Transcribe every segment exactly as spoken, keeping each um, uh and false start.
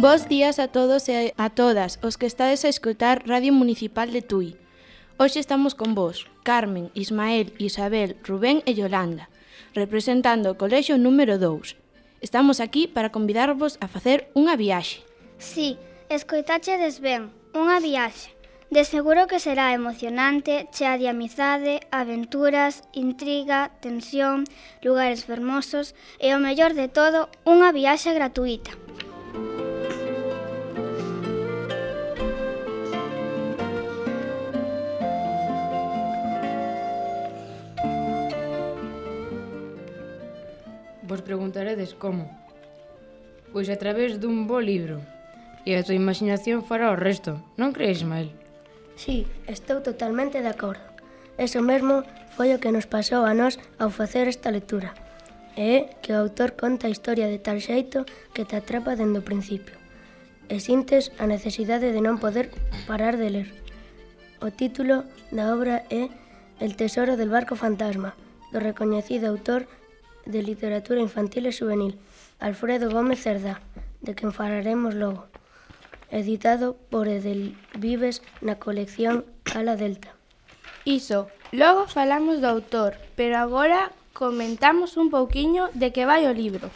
Bos días a todos e a todas os que estades a escoitar Radio Municipal de Tui. Hoxe estamos con vos, Carmen, Ismael, Isabel, Rubén e Yolanda, representando o colexio número dous. Estamos aquí para convidarvos a facer unha viaxe. Sí, escoitachedes ben, unha viaxe. De seguro que será emocionante, chea de amizade, aventuras, intriga, tensión, lugares fermosos e, o mellor de todo, unha viaxe gratuita. Vos preguntaredes como? Pois a través dun bo libro. E a tua imaginación fará o resto, non crees, Ismael? Sí, estou totalmente de acordo. Eso mesmo foi o que nos pasou a nós ao facer esta lectura. E é que o autor conta a historia de tal xeito que te atrapa dende o principio. E sintes a necesidade de non poder parar de ler. O título da obra é El tesoro del barco fantasma, do recoñecido autor de literatura infantil e juvenil, Alfredo Gómez Cerdá, de quen falaremos logo, editado por Edelvives na colección Ala Delta. Iso, logo falamos do autor, pero agora comentamos un pouquiño de que vai o libro.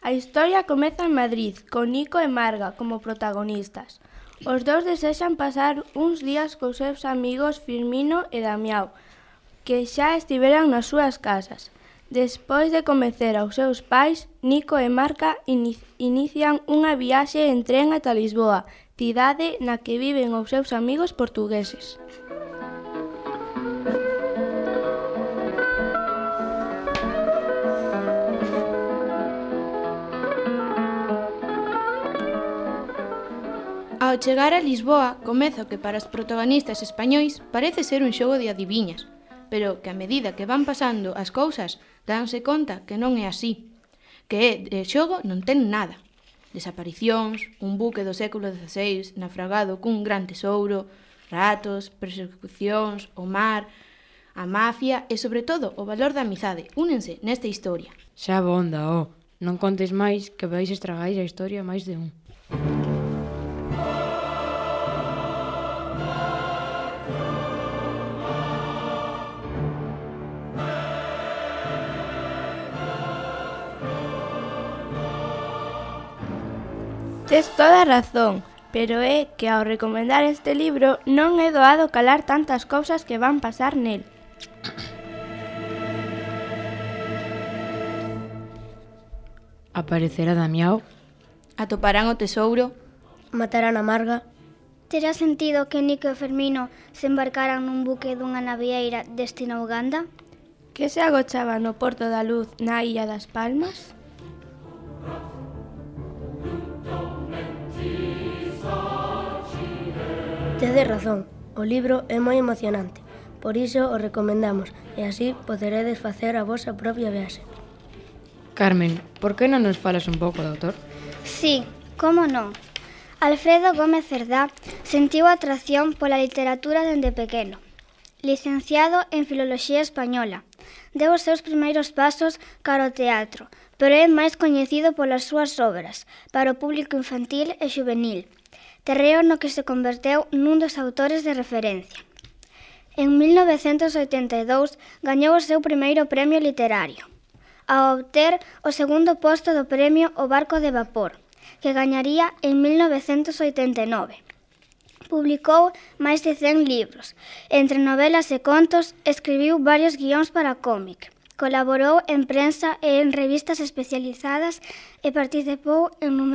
A historia comeza en Madrid, con Nico e Marga como protagonistas. Os dous desexan pasar uns días cos seus amigos Firmino e Damiao, que xa estiveran nas súas casas. Despois de convencer aos seus pais, Nico e Marga inician unha viaxe en tren ata Lisboa, cidade na que viven os seus amigos portugueses. Ao chegar a Lisboa, comeza o que para os protagonistas españois parece ser un xogo de adiviñas, pero que a medida que van pasando as cousas danse conta que non é así, que de xogo non ten nada. Desaparicións, un buque do século dieciséis naufragado cun gran tesouro, ratos, persecucións, o mar, a mafia e, sobre todo, o valor da amizade únense nesta historia. Xa bonda, ó, non contes máis que vais estragar a historia máis de un. Tes toda a razón, pero é que ao recomendar este libro non é doado calar tantas cousas que van pasar nel. Aparecerá Damiao? Atoparán o tesouro? Matarán a Marga? Terá sentido que Nico e Fermino se embarcaran nun buque dunha navieira destino a Uganda? Que se agochaba no Porto da Luz na Illa das Palmas? Tedes razón, o libro é moi emocionante, por iso o recomendamos e así poderedes facer a vosa propia viaxe. Carmen, por que non nos falas un pouco do autor? Sí, como non. Alfredo Gómez Cerdá sentiu atracción pola literatura dende pequeno. Licenciado en Filoloxía Española, deu os seus primeiros pasos cara ao teatro, pero é máis coñecido polas súas obras para o público infantil e xuvenil, terreo no que se converteu nun dos autores de referencia. En mil novecentos oitenta e dous gañou o seu primeiro premio literario, ao obter o segundo posto do premio O Barco de Vapor, que gañaría en mil novecentos oitenta e nove. Publicou máis de cen libros. Entre novelas e contos, escribiu varios guións para cómic. Colaborou en prensa e en revistas especializadas e participou en numerosos